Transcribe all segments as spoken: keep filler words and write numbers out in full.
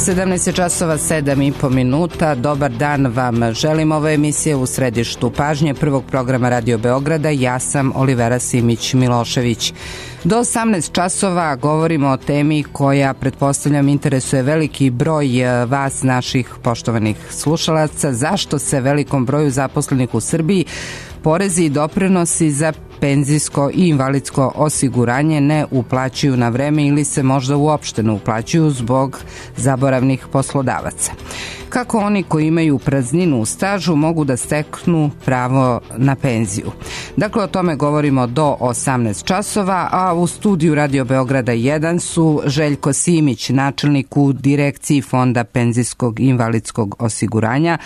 sedamnaest časova sedam i po minuta. Dobar dan vam želim. Ovo je emisija U središtu pažnje prvog programa Radio Beograda. Ja sam Olivera Simić-Milošević. Do osamnaest časova govorimo o temi koja, pretpostavljam, interesuje veliki broj vas, naših poštovanih slušalaca. Zašto se velikom broju zaposlenih u Srbiji porezi i doprinosi za penzijsko i invalidsko osiguranje ne uplaćuju na vreme ili se možda uopšte ne uplaćuju zbog zaboravnih poslodavaca? Kako oni koji imaju prazninu u stažu mogu da steknu pravo na penziju? Dakle, o tome govorimo do osamnaest časova, a u studiju Radio Beograda jedan su Željko Simić, načelnik u Direkciji Fonda penzijskog i invalidskog osiguranja,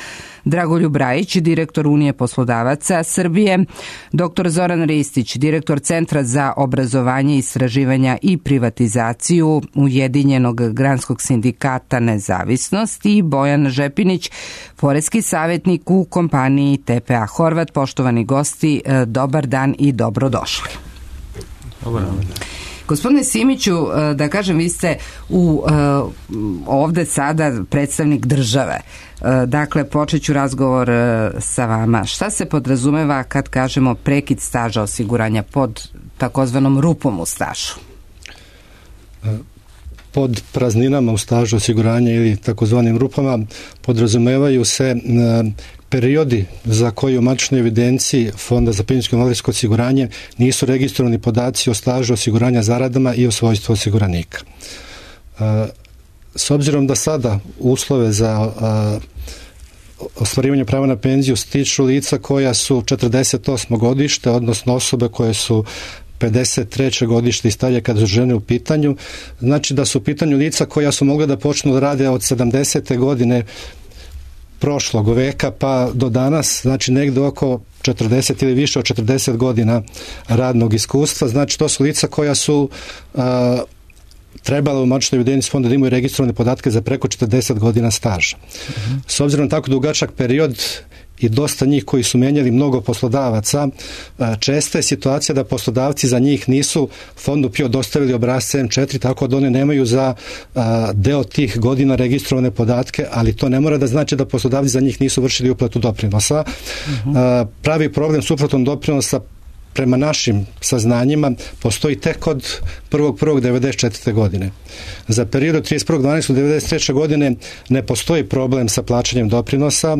Dragoljub Rajić, direktor Unije poslodavaca Srbije, doktor Zoran Ristić, direktor Centra za obrazovanje, istraživanja i privatizaciju Ujedinjenog granskog sindikata Nezavisnost i Bojan Žepinić, poreski savjetnik u kompaniji T P A Horvat. Poštovani gosti, dobar dan i dobrodošli. Dobar dan. Gospodine Simiću, da kažem, vi ste u, ovde sada predstavnik države. Dakle, počet ću razgovor sa vama. Šta se podrazumeva kad kažemo prekid staža osiguranja pod takozvanom rupom u stažu? Pod prazninama u stažu osiguranja ili takozvanim rupama podrazumevaju se periodi za koji u matičnoj evidenciji Fonda za penzijsko i invalidsko osiguranje nisu registrovani podaci o stažu osiguranja zaradama i o svojstvu osiguranika. S obzirom da sada uslove za ostvarivanje prava na penziju stiču lica koja su četrdeset osmo godište, odnosno osobe koje su pedeset treće godište i starije kada su žene u pitanju, znači da su u pitanju lica koja su mogla da počnu da rade od sedamdesete godine prošlog veka pa do danas, znači negde oko četrdeset ili više od četrdeset godina radnog iskustva. Znači to su lica koja su a, trebala u matičnoj evidenciji fonda da imaju registrovane podatke za preko četrdeset godina staža. Uh-huh. S obzirom na tako dugačak period i dosta njih koji su menjali mnogo poslodavaca, česta je situacija da poslodavci za njih nisu fondu P I O dostavili obrasce M četiri, tako da oni nemaju za deo tih godina registrovane podatke, ali to ne mora da znači da poslodavci za njih nisu vršili uplatu doprinosa. Uh-huh. Pravi problem s uplatom doprinosa prema našim saznanjima postoji tek od prvog prvog devedeset četvrte godine. Za period od trideset prvog decembra devedeset treće godine ne postoji problem sa plaćanjem doprinosa,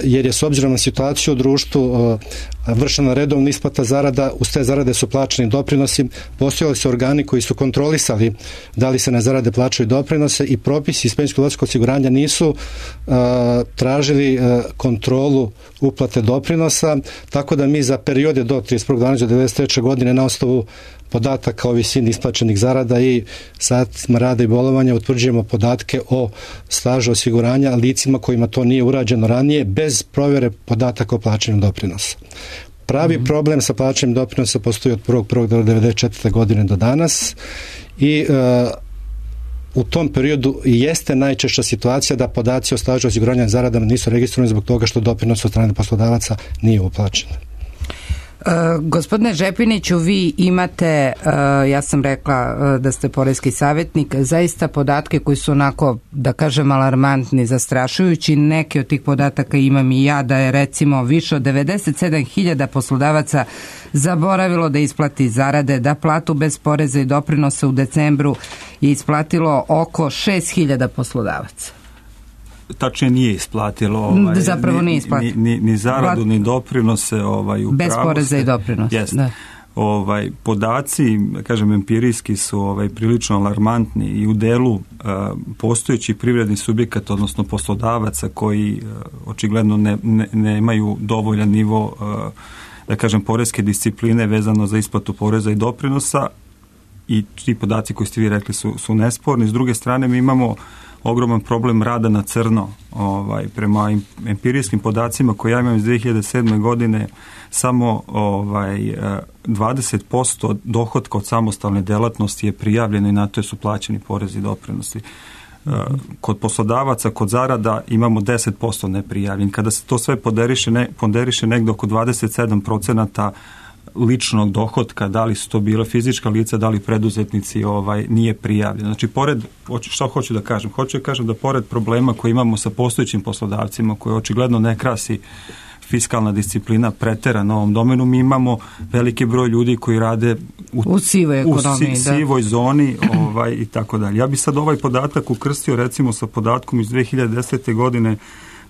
jer je s obzirom na situaciju u društvu vršena redovna isplata zarada, uz te zarade su plaćani doprinosi, postojali su organi koji su kontrolisali da li se na zarade plaćaju doprinose i propisi iz penzijskog i invalidskog osiguranja nisu uh, tražili uh, kontrolu uplate doprinosa, tako da mi za periode do trideset prvog decembra devedeset treće godine na osnovu podataka o visini isplaćenih zarada i satima rada i bolovanja utvrđujemo podatke o stažu osiguranja licima kojima to nije urađeno ranije bez provjere podataka o plaćanju doprinosa. Pravi mm-hmm. problem sa plaćanjem doprinosa postoji od prvog prvog devedeset četvrte godine do danas i uh, u tom periodu jeste najčešća situacija da podaci o stažu osiguranja zaradama nisu registrovani zbog toga što doprinos od strane poslodavaca nije uplaćen. Uh, gospodine Žepiniću, vi imate, uh, ja sam rekla uh, da ste poreski savjetnik, zaista podatke koji su onako, da kažem, alarmantni, zastrašujući. Neki od tih podataka imam i ja, da je recimo više od devedeset sedam hiljada poslodavaca zaboravilo da isplati zarade, da platu bez poreza i doprinosa u decembru je isplatilo oko šest hiljada poslodavaca. Tačnije nije isplatilo ovaj, zapravo nije isplatilo ni, ni, ni zaradu Plat... ni doprinose ovaj, u bez pravosti. Poreza i doprinosa. Da. Ovaj, podaci, kažem, empirijski su ovaj, prilično alarmantni i u delu uh, postojećih privrednih subjekata, odnosno poslodavaca koji uh, očigledno ne, ne, nemaju dovoljan nivo uh, da kažem poreske discipline vezano za isplatu poreza i doprinosa, i ti podaci koji ste vi rekli su, su nesporni. S druge strane mi imamo ogroman problem rada na crno. Ovaj, prema empirijskim podacima koje ja imam iz dve hiljade sedme godine, samo ovaj, dvadeset posto dohotka od samostalne delatnosti je prijavljeno i na to su plaćeni porezi i doprinosi. Kod poslodavaca, kod zarada imamo deset posto neprijavljen. Kada se to sve ponderiše, ne, ponderiše negdje oko dvadeset sedam procenata ličnog dohotka, da li su to bile fizička lica, da li preduzetnici, ovaj, nije prijavljeno. Znači, pored, što hoću da kažem? Hoću da kažem da pored problema koje imamo sa postojećim poslodavcima, koje očigledno ne krasi fiskalna disciplina pretera na ovom domenu, mi imamo veliki broj ljudi koji rade u, u sivoj ekonomiji, u si, sivoj zoni ovaj, i tako dalje. Ja bi sad ovaj podatak ukrstio recimo sa podatkom iz dve hiljade desete. godine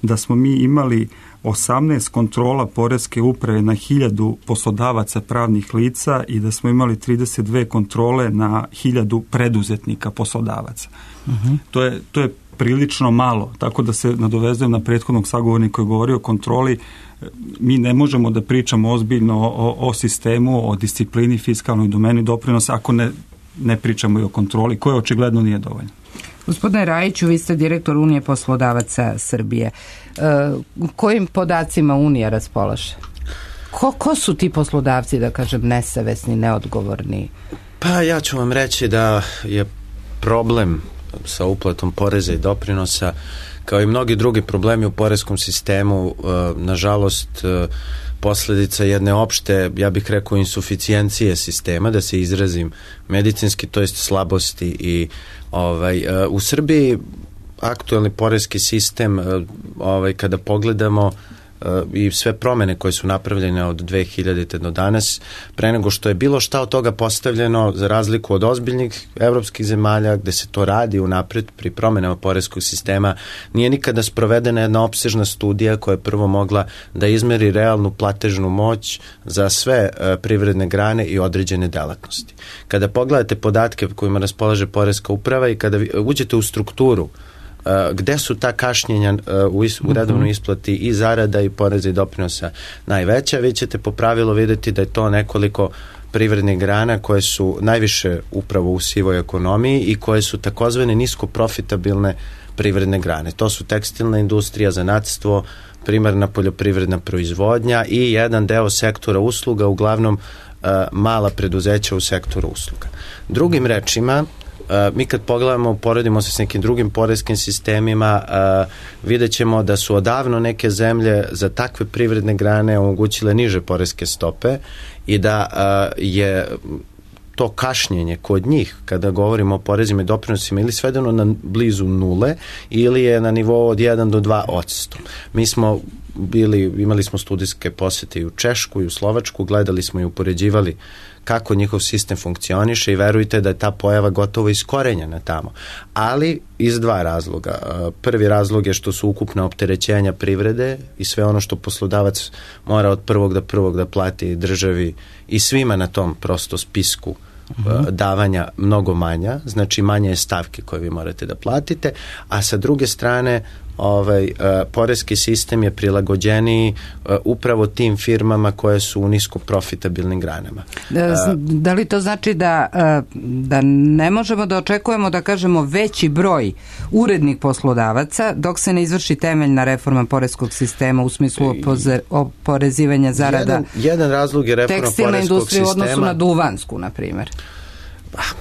da smo mi imali osamnaest kontrola poreske uprave na hiljadu poslodavaca pravnih lica i da smo imali trideset dve kontrole na hiljadu preduzetnika poslodavaca. Uh-huh. To je, to je prilično malo, tako da se nadovezujem na prethodnog sagovornika koji je govorio o kontroli. Mi ne možemo da pričamo ozbiljno o, o sistemu, o disciplini, fiskalnoj domeni doprinosa ako ne, ne pričamo i o kontroli, koja očigledno nije dovoljna. Gospodine Rajiću, vi ste direktor Unije poslodavaca Srbije. E, kojim podacima Unija raspolaže? Ko, ko su ti poslodavci, da kažem, nesavesni, neodgovorni? Pa ja ću vam reći da je problem sa uplatom poreza i doprinosa, kao i mnogi drugi problemi u poreskom sistemu, nažalost posljedica jedne opšte, ja bih rekao, insuficijencije sistema, da se izrazim medicinski, to jest slabosti. I ovaj, u Srbiji aktuelni poreski sistem, ovaj, kada pogledamo i sve promene koje su napravljene od dve hiljadite. do danas, pre nego što je bilo šta od toga postavljeno, za razliku od ozbiljnih evropskih zemalja gde se to radi unapred pri promenama poreskog sistema, nije nikada sprovedena jedna opsežna studija koja je prvo mogla da izmeri realnu platežnu moć za sve privredne grane i određene delatnosti. Kada pogledate podatke kojima raspolaže poreska uprava i kada uđete u strukturu gde su ta kašnjenja u, is, u redovnoj isplati i zarada i poreza i doprinosa najveća, vi ćete po pravilu vidjeti da je to nekoliko privrednih grana koje su najviše upravo u sivoj ekonomiji i koje su takozvane nisko profitabilne privredne grane. To su tekstilna industrija, zanatstvo, primarna poljoprivredna proizvodnja i jedan deo sektora usluga, uglavnom uh, mala preduzeća u sektoru usluga. Drugim rečima, Uh, mi kad pogledamo, poredimo se s nekim drugim poreskim sistemima, uh, vidjet ćemo da su odavno neke zemlje za takve privredne grane omogućile niže poreske stope i da uh, je to kašnjenje kod njih, kada govorimo o porezima i doprinosima, ili svedeno na blizu nule ili je na nivou od jedan do dva odsto. Mi smo bili, imali smo studijske posete i u Češku i u Slovačku, gledali smo i upoređivali kako njihov sistem funkcioniše i verujte da je ta pojava gotovo iskorenjena tamo. Ali iz dva razloga. Prvi razlog je što su ukupna opterećenja privrede i sve ono što poslodavac mora od prvog do prvog da plati državi i svima na tom prosto spisku uh-huh. davanja mnogo manja, znači manje je stavke koje vi morate da platite, a sa druge strane ovaj, uh, poreski sistem je prilagođeniji uh, upravo tim firmama koje su u nisko profitabilnim granama. Da, da li to znači da, uh, da ne možemo da očekujemo, da kažemo, veći broj urednih poslodavaca dok se ne izvrši temeljna reforma poreskog sistema u smislu opoze, oporezivanja zarada jedan, jedan razlog je reforma tekstilne industrije u odnosu na duvansku, na primjer?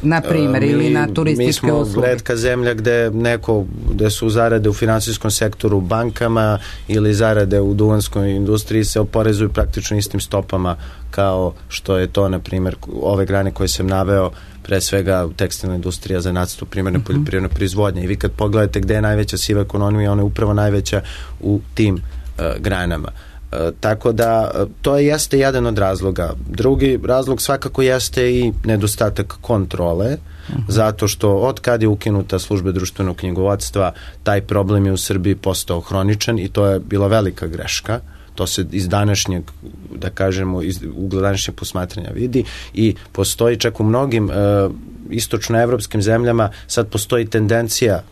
Na primjer, uh, ili na turističke usluge. Mi smo retka zemlja gde neko, gde su zarade u finansijskom sektoru bankama ili zarade u duvanskoj industriji se oporezuju praktično istim stopama kao što je to, na primjer, ove grane koje sam naveo, pre svega tekstilna industrija, zanatstvo, primarna uh-huh. poljoprivredna proizvodnja. I vi kad pogledate gde je najveća siva ekonomija, ona je upravo najveća u tim uh, granama. Uh, tako da to jeste jedan od razloga. Drugi razlog svakako jeste i nedostatak kontrole, uh-huh. zato što od kad je ukinuta služba društvenog knjigovodstva, taj problem je u Srbiji postao hroničan i to je bila velika greška. To se iz današnjeg, da kažemo, iz ugla današnjeg posmatranja vidi i postoji čak u mnogim uh, istočnoevropskim zemljama, sad postoji tendencija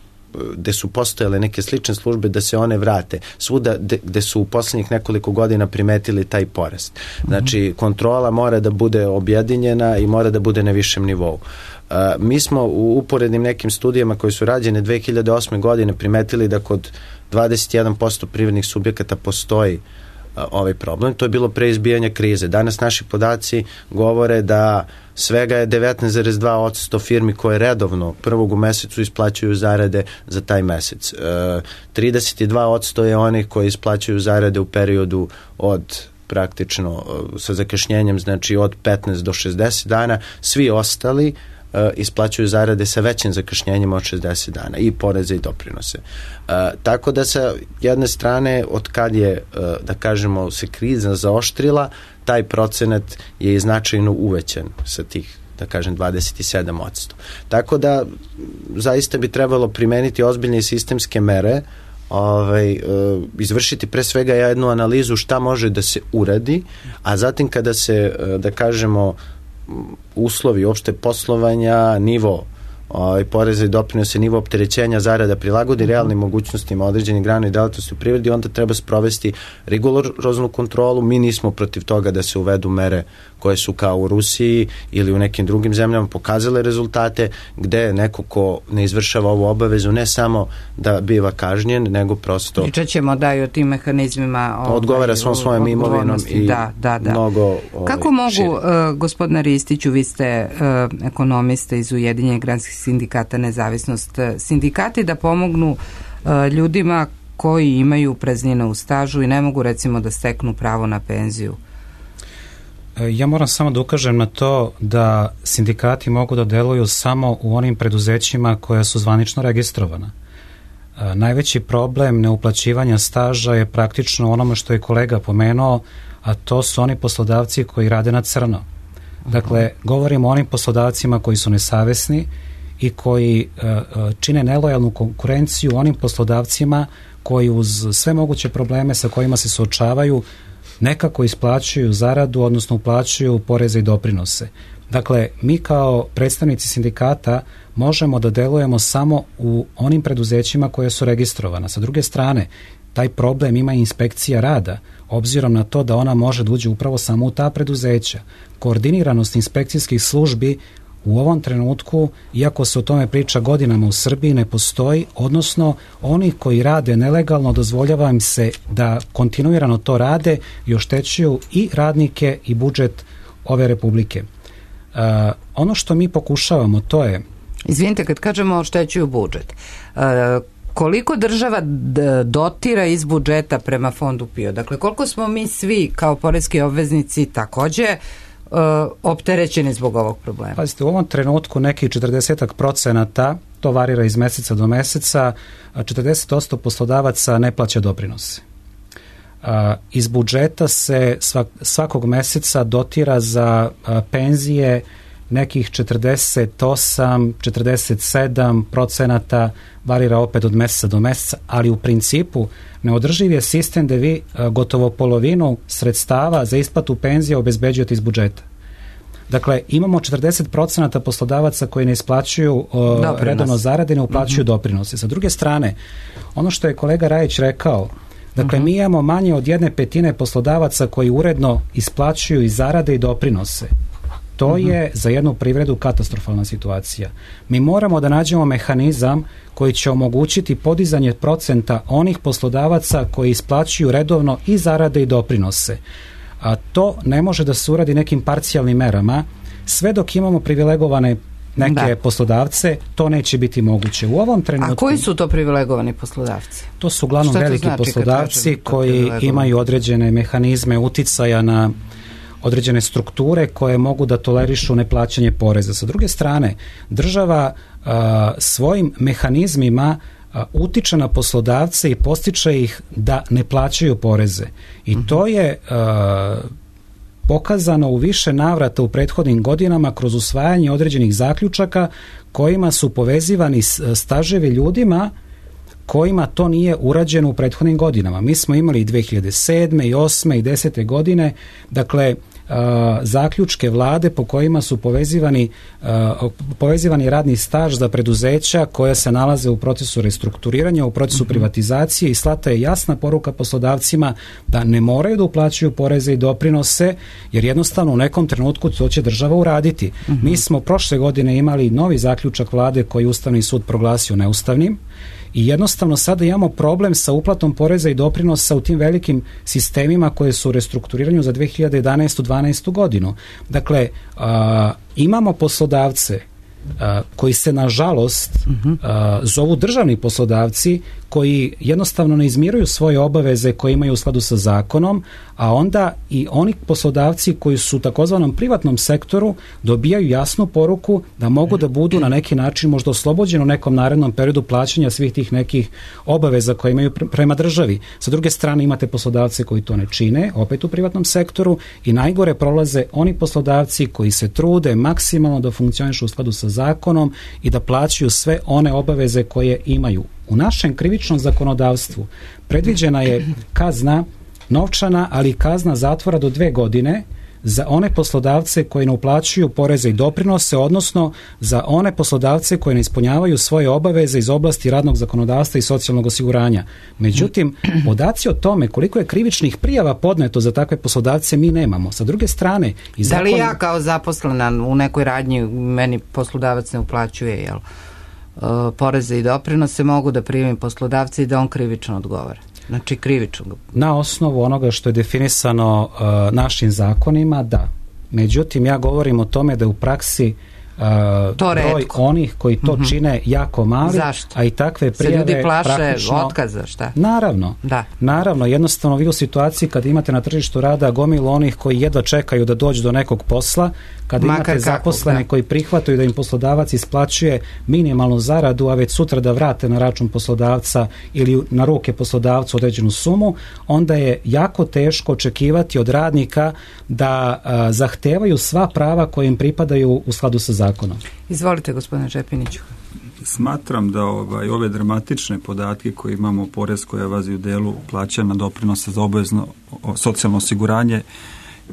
gde su postojale neke slične službe da se one vrate. Svuda gde su u poslednjih nekoliko godina primetili taj porast. Znači, kontrola mora da bude objedinjena i mora da bude na višem nivou. Uh, mi smo u uporednim nekim studijama koje su rađene dve hiljade osme. godine primetili da kod dvadeset jedan posto privrednih subjekata postoji ovaj problem. To je bilo pre izbijanja krize. Danas naši podaci govore da svega je devetnaest zarez dva odsto firmi koje redovno prvog u mesecu isplaćuju zarade za taj mesec. E, trideset dva odsto je onih koji isplaćuju zarade u periodu od praktično sa zakašnjenjem, znači od petnaest do šezdeset dana, svi ostali uh, isplaćuju zarade sa većim zakašnjenjem od šezdeset dana i poreze i doprinose. Uh, tako da sa jedne strane, od kad je, uh, da kažemo, se kriza zaoštrila, taj procenat je i značajno uvećan sa tih, da kažem, dvadeset sedam posto. Tako da zaista bi trebalo primeniti ozbiljne sistemske mere, ovaj, izvršiti pre svega jednu analizu šta može da se uradi, a zatim kada se, da kažemo, uslovi opšte poslovanja, nivo ovaj, poreza i doprinose, nivo opterećenja zarada prilagodi realnim mogućnostima određenih grana i delatnosti u privredi, onda treba sprovesti rigoroznu kontrolu. Mi nismo protiv toga da se uvedu mere koje su kao u Rusiji ili u nekim drugim zemljama pokazale rezultate, gde neko ko ne izvršava ovu obavezu ne samo da biva kažnjen, nego prosto pričat ćemo da i o tim mehanizmima ovaj, odgovara svom svojom imovinom i da, da, da. mnogo ovaj, kako mogu, uh, gospodine Ristiću, vi ste uh, ekonomista iz Ujedinjenih granskih sindikata Nezavisnost, sindikati da pomognu uh, ljudima koji imaju praznine u stažu i ne mogu recimo da steknu pravo na penziju? Ja moram samo da ukažem na to da sindikati mogu da deluju samo u onim preduzećima koja su zvanično registrovana. Najveći problem neuplaćivanja staža je praktično onome što je kolega pomenuo, a to su oni poslodavci koji rade na crno. Dakle, govorimo o onim poslodavcima koji su nesavesni i koji čine nelojalnu konkurenciju onim poslodavcima koji uz sve moguće probleme sa kojima se suočavaju nekako isplaćuju zaradu, odnosno uplaćuju poreze i doprinose. Dakle, mi kao predstavnici sindikata možemo da delujemo samo u onim preduzećima koje su registrovana. Sa druge strane, taj problem ima inspekcija rada, obzirom na to da ona može da uđe upravo samo u ta preduzeća. Koordiniranost inspekcijskih službi u ovom trenutku, iako se o tome priča godinama u Srbiji, ne postoji, odnosno oni koji rade nelegalno dozvoljava im se da kontinuirano to rade i oštećuju i radnike i budžet ove Republike. Uh, ono što mi pokušavamo, to je... Izvinite, kad kažemo oštećuju budžet, uh, koliko država dotira iz budžeta prema fondu P I O? Dakle, koliko smo mi svi kao poreski obveznici takođe Uh, opterećeni zbog ovog problema? Pazite, u ovom trenutku nekih četrdeset procenata, to varira iz meseca do meseca, četrdeset posto poslodavaca ne plaća doprinose. Uh, iz budžeta se svak, svakog meseca dotira za uh, penzije nekih četrdeset osam, četrdeset sedam procenata, varira opet od meseca do meseca, ali u principu neodrživ je sistem da vi gotovo polovinu sredstava za isplatu penzija obezbeđujete iz budžeta. Dakle, imamo četrdeset procenata poslodavaca koji ne isplaćuju uh, redovno zarade, ne uplaćuju mm-hmm. doprinose. Sa druge strane, ono što je kolega Rajić rekao, dakle, mm-hmm. mi imamo manje od jedne petine poslodavaca koji uredno isplaćuju i zarade i doprinose. To mm-hmm. je za jednu privredu katastrofalna situacija. Mi moramo da nađemo mehanizam koji će omogućiti podizanje procenta onih poslodavaca koji isplaćuju redovno i zarade i doprinose. A to ne može da se uradi nekim parcijalnim merama. Sve dok imamo privilegovane neke da. poslodavce, to neće biti moguće. U ovom trenutku... A koji su to privilegovani poslodavci? To su uglavnom veliki znači poslodavci koji imaju određene mehanizme uticaja na određene strukture koje mogu da tolerišu neplaćanje poreza. Sa druge strane, država a, svojim mehanizmima a, utiče na poslodavce i postiče ih da ne plaćaju poreze. I mm-hmm. to je a, pokazano u više navrata u prethodnim godinama kroz usvajanje određenih zaključaka kojima su povezivani staževi ljudima kojima to nije urađeno u prethodnim godinama. Mi smo imali i dve hiljade sedme i osme i desete godine, dakle, Uh, zaključke vlade po kojima su povezivani, uh, povezivani radni staž za preduzeća koja se nalaze u procesu restrukturiranja, u procesu mm-hmm. privatizacije i slata je jasna poruka poslodavcima da ne moraju da uplaćuju poreze i doprinose, jer jednostavno u nekom trenutku to će država uraditi. Mm-hmm. Mi smo prošle godine imali novi zaključak vlade koji Ustavni sud proglasio neustavnim i jednostavno sada imamo problem sa uplatom poreza i doprinosa u tim velikim sistemima koje su u restrukturiranju za dve hiljade jedanaestu dvanaestu godinu. Dakle, a, imamo poslodavce a, koji se nažalost a, zovu državni poslodavci, koji jednostavno ne izmiruju svoje obaveze koje imaju u skladu sa zakonom, a onda i oni poslodavci koji su u takozvanom privatnom sektoru dobijaju jasnu poruku da mogu da budu na neki način možda oslobođeni u nekom narednom periodu plaćanja svih tih nekih obaveza koje imaju prema državi. Sa druge strane imate poslodavce koji to ne čine, opet u privatnom sektoru, i najgore prolaze oni poslodavci koji se trude maksimalno da funkcionišu u skladu sa zakonom i da plaćaju sve one obaveze koje imaju. U našem krivičnom zakonodavstvu predviđena je kazna novčana, ali i kazna zatvora do dve godine za one poslodavce koji ne uplaćuju poreze i doprinose, odnosno za one poslodavce koji ne ispunjavaju svoje obaveze iz oblasti radnog zakonodavstva i socijalnog osiguranja. Međutim, podaci o tome koliko je krivičnih prijava podneto za takve poslodavce mi nemamo. Sa druge strane... I zakon... Da li ja kao zaposlena u nekoj radnji meni poslodavac ne uplaćuje, jel, poreze i doprinose, mogu da primim poslodavca i da on krivično odgovara? Znači krivično. Na osnovu onoga što je definisano uh, našim zakonima, da. Međutim, ja govorim o tome da u praksi uh, broj redko. Onih koji to mm-hmm. čine jako mali. Zašto? A i takve prijave se ljudi plaše praktično... otkaza, šta? Naravno. Da. Naravno, jednostavno vi u situaciji kad imate na tržištu rada gomilu onih koji jedva čekaju da dođu do nekog posla, kada Makar imate kako, zaposlene da. koji prihvataju da im poslodavac isplaćuje minimalnu zaradu, a već sutra da vrate na račun poslodavca ili na ruke poslodavcu određenu sumu, onda je jako teško očekivati od radnika da a, zahtevaju sva prava koje im pripadaju u skladu sa zakonom. Izvolite, gospodine Žepiniću. Smatram da ovaj, ove dramatične podatke koje imamo o poreskoj evaziji u delu plaćanja doprinosa za obavezno socijalno osiguranje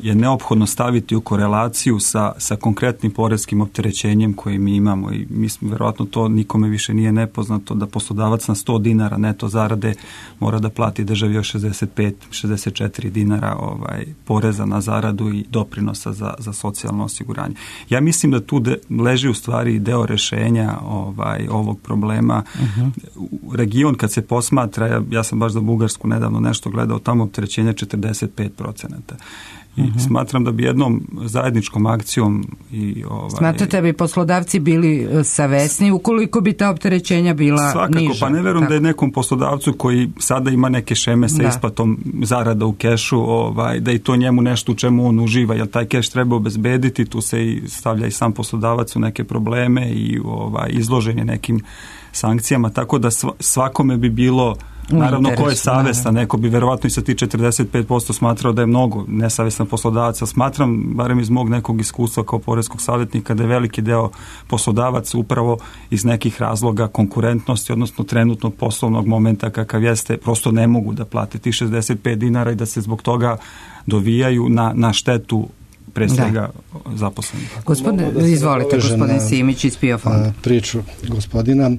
je neophodno staviti u korelaciju sa, sa konkretnim poreskim opterećenjem koje mi imamo, i mislim, verovatno to nikome više nije nepoznato, da poslodavac na sto dinara neto zarade mora da plati državi još šezdeset pet šezdeset četiri dinara ovaj, poreza na zaradu i doprinosa za, za socijalno osiguranje. Ja mislim da tu de, leži u stvari deo rešenja ovaj, ovog problema. Uh-huh. Region kad se posmatra, ja, ja sam baš za Bugarsku nedavno nešto gledao, tamo opterećenje četrdeset pet procenata. I uh-huh. smatram da bi jednom zajedničkom akcijom i ovaj, smatrate da bi poslodavci bili savesni ukoliko bi ta opterećenja bila svakako, niža? Pa ne verujem da je nekom poslodavcu koji sada ima neke šeme sa da. isplatom zarada u kešu, ovaj, da i to njemu nešto u čemu on uživa, jer taj keš treba obezbediti, tu se i stavlja i sam poslodavac u neke probleme i ovaj, izložen je nekim sankcijama, tako da svakome bi bilo, naravno ko je savestan, neko bi verovatno i sa ti četrdeset pet posto smatrao da je mnogo nesavestan poslodavaca. Smatram, barem iz mog nekog iskustva kao poreskog savjetnika, da je veliki deo poslodavaca upravo iz nekih razloga konkurentnosti, odnosno trenutnog poslovnog momenta kakav jeste, prosto ne mogu da plate ti šezdeset pet dinara i da se zbog toga dovijaju na, na štetu pre svega zaposlenih. Gospodine, da izvolite, gospodin Simić iz P I O fonda. Priču gospodina.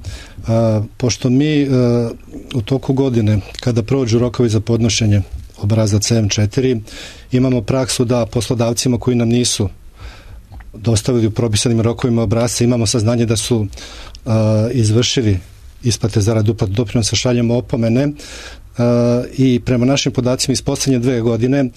A, pošto mi a, u toku godine, kada prođu rokovi za podnošenje obrazaca M četiri, imamo praksu da poslodavcima koji nam nisu dostavili u propisanim rokovima obrasca, imamo saznanje da su a, izvršili isplate zarad uplatu doprinosa, šaljemo opomene a, i prema našim podacima iz poslednje dve godine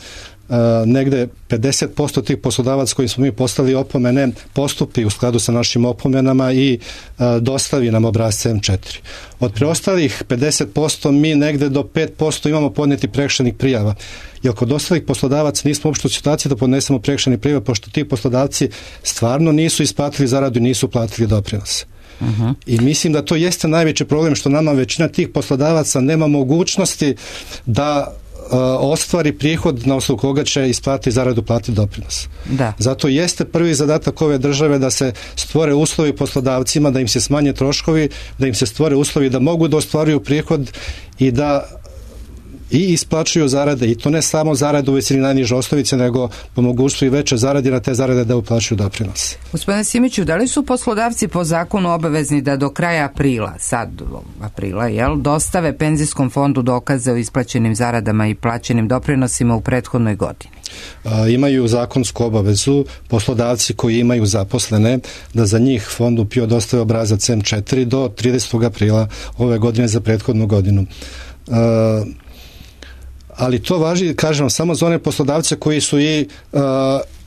Uh, negde pedeset posto tih poslodavaca kojim smo mi poslali opomene postupi u skladu sa našim opomenama i uh, dostavi nam obrasce M četiri. Od preostalih pedeset posto mi negde do pet posto imamo podneti prekršajnih prijava. Jer kod ostalih poslodavaca nismo uopšte u situaciji da podnesemo prekršajne prijave, pošto ti poslodavci stvarno nisu isplatili zaradu i nisu platili doprinose. Uh-huh. I mislim da to jeste najveći problem, što nama većina tih poslodavaca nema mogućnosti da ostvari prihod na osnovu koga će isplati zaradu, plati doprinos. Da. Zato jeste prvi zadatak ove države da se stvore uslovi poslodavcima, da im se smanje troškovi, da im se stvore uslovi da mogu da ostvaruju prihod i da i isplaćuju zarade, i to ne samo zarade u visini najniže osnovice, nego po mogućstvu i veće zarade, na te zarade da uplaćuju doprinos. Gospodine Simiću, da li su poslodavci po zakonu obavezni da do kraja aprila, sad aprila, jel, dostave penzijskom fondu dokaze o isplaćenim zaradama i plaćenim doprinosima u prethodnoj godini? A, imaju zakonsku obavezu poslodavci koji imaju zaposlene da za njih fondu P I O dostave obrazac M četiri do tridesetog aprila ove godine za prethodnu godinu. A, ali to važi, kažem, samo za one poslodavce koji su i uh,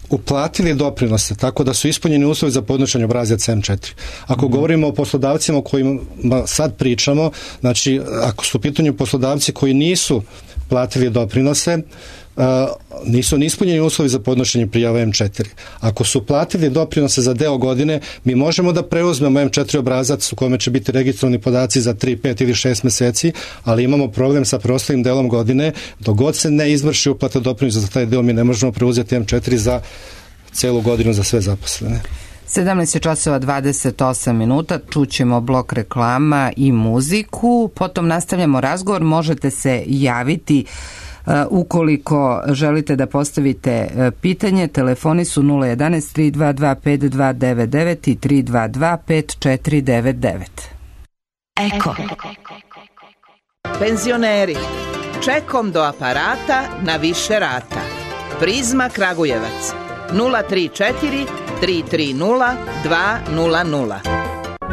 uplatili doprinose, tako da su ispunjeni uslovi za podnošenje obrazaca em četiri. Ako mm. govorimo o poslodavcima o kojima sad pričamo, znači ako su u pitanju poslodavci koji nisu platili doprinose, Uh, nisu ispunjeni uslovi za podnošenje prijava em četiri. Ako su platili doprinose za deo godine, mi možemo da preuzmemo em četiri obrazac u kome će biti registrovani podaci za tri, pet ili šest meseci, ali imamo problem sa preostalim delom godine. Dok god se ne izvrši uplata doprinosa za taj deo, mi ne možemo preuzeti em četiri za celu godinu za sve zaposlene. sedamnaest časova dvadeset osam minuta, čućemo blok reklama i muziku, potom nastavljamo razgovor, možete se javiti Uh, ukoliko želite da postavite uh, pitanje, telefoni su nula jedanaest tri dva dva pet dva devet devet i tri dva dva pet četiri devet devet. Eko. Penzioneri, čekom do aparata na više rata. Prizma Kragujevac nula tri četiri tri tri nula dva nula nula.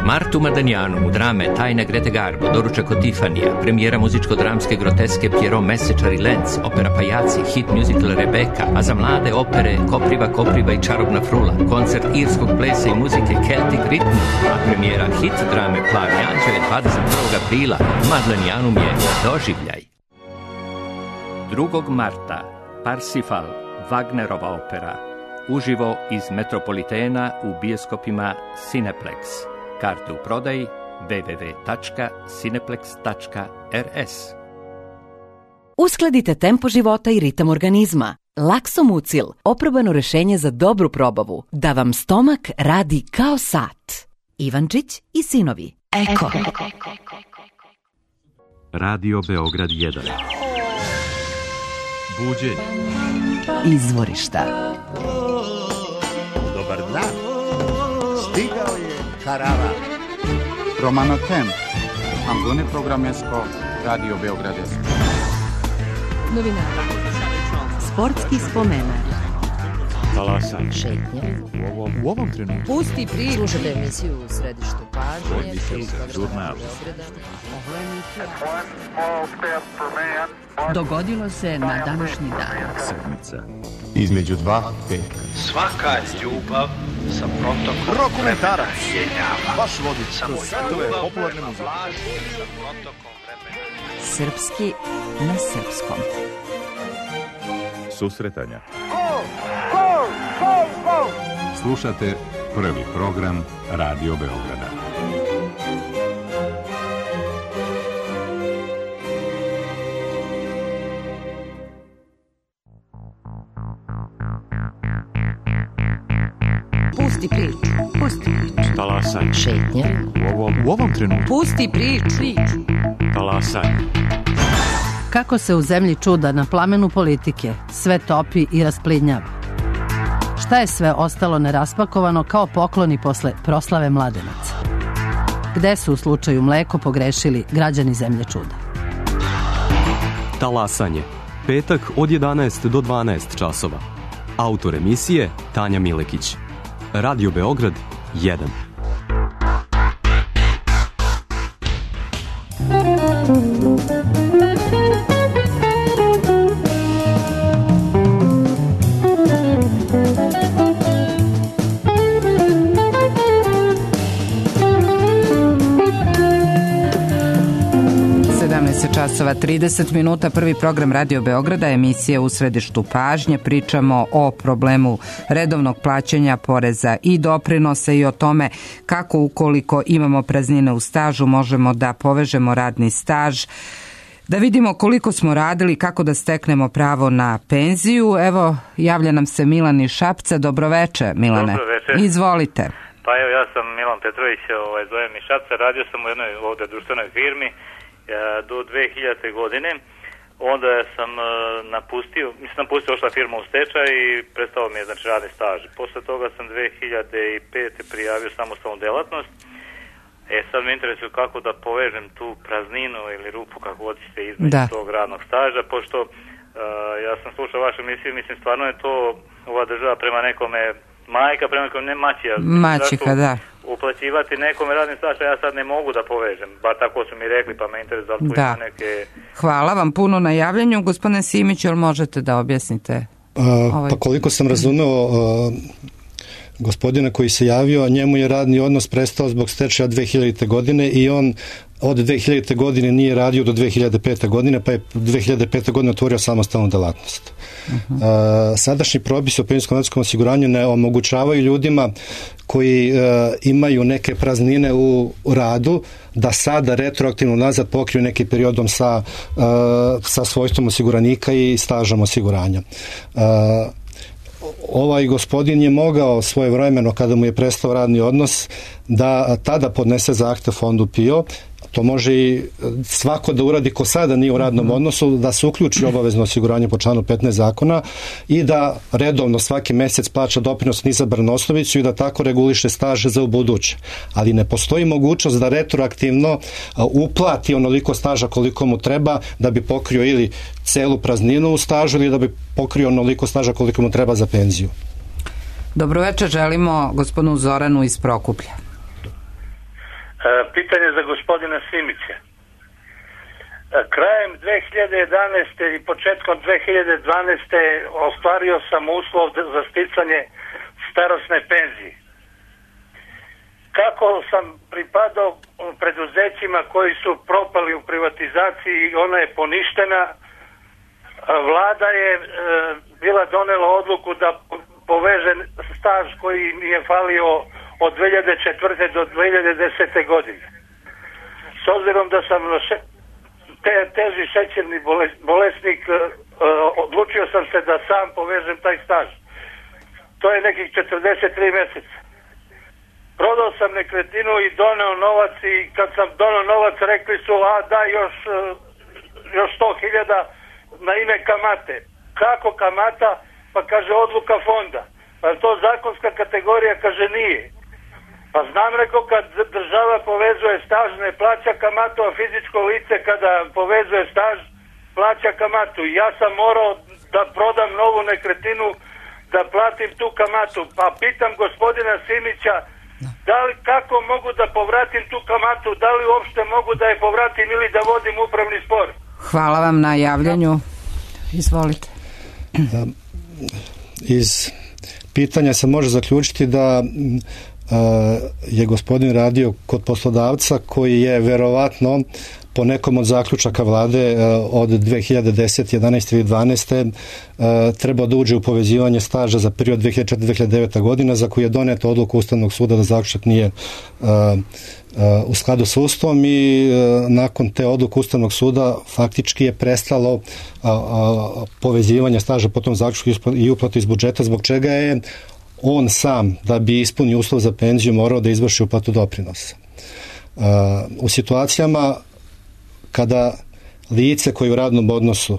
Martu Madanjanu u drame Tajna Grete Garbo, doručak od Tifanija, premijera muzičko-dramske groteske Pierrot Mesečar i Lenz, opera Pajaci, hit musical Rebeka, a za mlade opere Kopriva, Kopriva i Čarobna frula, koncert irskog plesa i muzike Celtic Rhythm, a premijera hit drame Plavi anđeo dvadeset prvog aprila. Madanjanum je doživljaj. drugog marta Parsifal, Wagnerova opera, uživo iz Metropolitena u bioskopima Cineplex. Karte u prodaji w w w tačka cineplex tačka r s. Uskladite tempo života i ritam organizma. Laksomucil, oprobano rešenje za dobru probavu, da vam stomak radi kao sat. Ivančić i sinovi. Eko. Radio Beograd jedan. Buđenje. Izvorišta. Dobar dan. Stigao je Karava. Romano Tem. Ambune Programesko. Radio Beogradesko. Novinara. Sportski spomenar. Talasan. Šetnje. U ovom, u ovom trenutku. Pusti priču. Slušate emisiju u središtu pažnje. Žurnal. Dogodilo se na današnji dan. Sedmica. Između dva petka. Svaka ljubav sa protokom Rokomentarac. vremena. Baš vodič. Samo Svetove ljubav popularne na muzike. vlaži sa protokom vremena. Srpski na srpskom. Susretanja. Slušate prvi program Radio Beograda. Pusti priču. Pusti priču. Talasan. Šetnje. U ovom, u ovom trenutku. Pusti priču. Talasan. Kako se u zemlji čuda na plamenu politike sve topi i rasplidnjava? Šta je sve ostalo neraspakovano kao pokloni posle proslave mladenaca? Gde su u slučaju mleko pogrešili građani zemlje čuda? Talasanje. Petak od jedanaest do dvanaest časova. Autor emisije Tanja Milekić. Radio Beograd jedan. časova trideset minuta, prvi program Radio Beograda, emisija u središtu pažnje. Pričamo o problemu redovnog plaćanja poreza i doprinosa i o tome kako ukoliko imamo praznine u stažu možemo da povežemo radni staž, da vidimo koliko smo radili, kako da steknemo pravo na penziju. Evo, javlja nam se Milan iz Šapca. Dobroveče, Milane. Dobroveče. Izvolite. Pa evo, ja sam Milan Petrović, ovaj, zovem iz Šapca, radio sam u jednoj ovde društvenoj firmi do dve hiljadite godine, onda sam uh, napustio, mislim napustio ošla firma u stečaj i prestao mi je znači radni staž. Posle toga sam dve hiljade pete prijavio samostalnu delatnost. E sad me interesuje kako da povežem tu prazninu ili rupu kako hoćete između da. tog radnog staža, pošto uh, ja sam slušao vašu emisiju, mislim stvarno je to ova država prema nekome majka, prema nekome ne maćija. Maćika, da. Uplaćivati nekome radni staž, ja sad ne mogu da povežem, bar tako su mi rekli, pa me interesuje da li tu ima neke... Hvala vam puno na javljanju, gospodine Simić, jel možete da objasnite Ovaj... Pa koliko sam razumeo gospodina koji se javio, njemu je radni odnos prestao zbog stečaja dve hiljadite. godine i on od dve hiljadite. godine nije radio do dve hiljade pete. godine, pa je dve hiljade pete. godine otvorio samostalnu delatnost. Uh-huh. Uh, sadašnji propisi o penzijskom osiguranju ne omogućavaju ljudima koji uh, imaju neke praznine u radu da sada retroaktivno nazad pokriju nekim periodom sa, uh, sa svojstvom osiguranika i stažom osiguranja. Uh, ovaj gospodin je mogao svojevremeno, kada mu je prestao radni odnos, da tada podnese zahtev fondu P I O. To može i svako da uradi ko sada nije u radnom odnosu, da se uključi obavezno osiguranje po članu petnaest zakona i da redovno svaki mesec plaća doprinos na izabranu osnovicu i da tako reguliše staž za ubuduće. Ali ne postoji mogućnost da retroaktivno uplati onoliko staža koliko mu treba da bi pokrio ili celu prazninu u stažu ili da bi pokrio onoliko staža koliko mu treba za penziju. Dobroveče, želimo gospodinu Zoranu iz Prokuplja. Pitanje za gospodina Simića. Krajem dve hiljade jedanaeste. i početkom dve hiljade dvanaeste. ostvario sam uslov za sticanje starosne penzije. Kako sam pripadao preduzećima koji su propali u privatizaciji i ona je poništena, vlada je e, bila donela odluku da poveže staž koji mi je falio od dve hiljade četvrte. do dve hiljade desete. godine. S obzirom da sam te, teži šećerni bolesnik, odlučio sam se da sam povežem taj staž. To je nekih četrdeset tri meseca. Prodao sam nekretninu i doneo novac i kad sam doneo novac rekli su, a da još, još sto hiljada na ime kamate. Kako kamata? Pa kaže odluka fonda. Pa to zakonska kategorija? Kaže nije. Pa znam, rekao, kad država povezuje staž ne plaća kamatu, a fizičko lice kada povezuje staž plaća kamatu. I ja sam morao da prodam novu nekretninu da platim tu kamatu. Pa pitam gospodina Simića, da li, kako mogu da povratim tu kamatu, da li uopšte mogu da je povratim ili da vodim upravni spor? Hvala vam na javljanju. Izvolite. Iz pitanja se može zaključiti da je gospodin radio kod poslodavca koji je verovatno po nekom od zaključaka vlade od dve hiljade desete, jedanaeste ili dvanaeste trebao da uđe u povezivanje staža za period dve hiljade četvrte do dve hiljade devete. godina za koju je doneta odluka Ustavnog suda da zaključak nije u skladu sa Ustavom i nakon te odluke Ustavnog suda faktički je prestalo povezivanje staža po tom zaključku i uplatu iz budžeta, zbog čega je on sam, da bi ispunio uslov za penziju, morao da izvrši uplatu doprinosa. U situacijama kada lice koji u radnom odnosu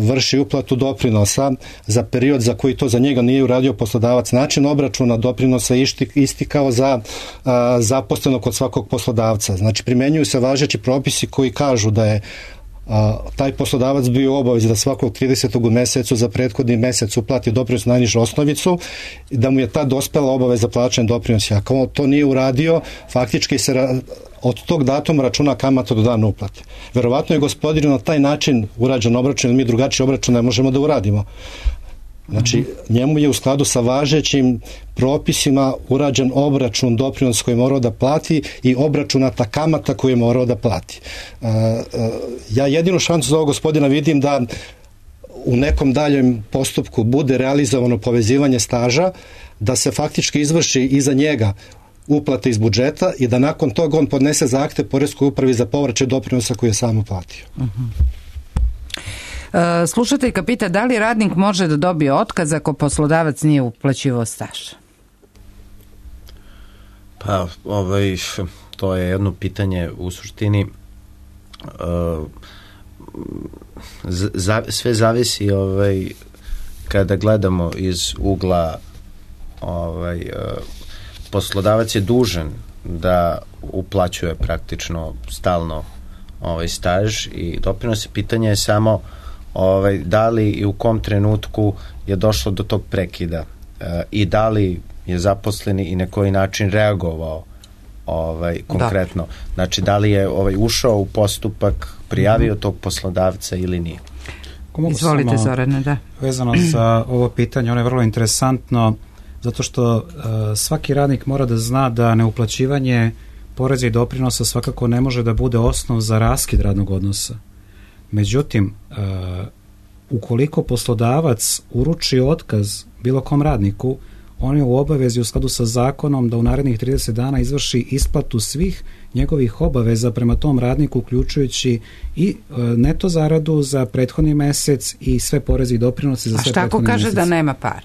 vrši uplatu doprinosa za period za koji to za njega nije uradio poslodavac, način obračuna doprinosa isti kao za zaposlenog kod svakog poslodavca. Znači, primenjuju se važeći propisi koji kažu da je a, taj poslodavac bio u obavezi da svakog tridesetog u mesecu za prethodni mesec uplati doprinos na najnižu osnovicu i da mu je ta dospela obaveza plaćanja doprinosa. Ako to nije uradio, faktički se ra, od tog datuma računa kamata do dana uplate. Verovatno je gospodinu na taj način urađen obračun, jer mi drugačiji obračun ne možemo da uradimo. Znači, njemu je u skladu sa važećim propisima urađen obračun doprinos koji je morao da plati i obračunata kamata koju je morao da plati. Ja jedinu šansu za ovog gospodina vidim da u nekom daljem postupku bude realizovano povezivanje staža, da se faktički izvrši iza njega uplate iz budžeta i da nakon toga on podnese zahtev poreskoj upravi za povraćaj doprinosa koji je sam uplatio. Uh-huh. Slušateljka pita da li radnik može da dobije otkaz ako poslodavac nije uplaćivao staž? Pa, ovaj, to je jedno pitanje u suštini. Uh, za, sve zavisi ovaj, kada gledamo iz ugla ovaj, uh, poslodavac je dužan da uplaćuje praktično stalno ovaj staž i doprinose. Pitanje je samo ovaj, da li i u kom trenutku je došlo do tog prekida e, i da li je zaposleni i na koji način reagovao ovaj, konkretno. Da. Znači, da li je ovaj, ušao u postupak, prijavio mm-hmm. tog poslodavca ili nije. Izvolite, Zorane, da. Vezano za ovo pitanje, ono je vrlo interesantno, zato što uh, svaki radnik mora da zna da neuplaćivanje poreza i doprinosa svakako ne može da bude osnov za raskid radnog odnosa. Međutim, uh, ukoliko poslodavac uruči otkaz bilo kom radniku, on je u obavezi u skladu sa zakonom da u narednih trideset dana izvrši isplatu svih njegovih obaveza prema tom radniku, uključujući i e, neto zaradu za prethodni mesec i sve poreze i doprinose za sve prethodni mesec. A šta ako kaže da nema para?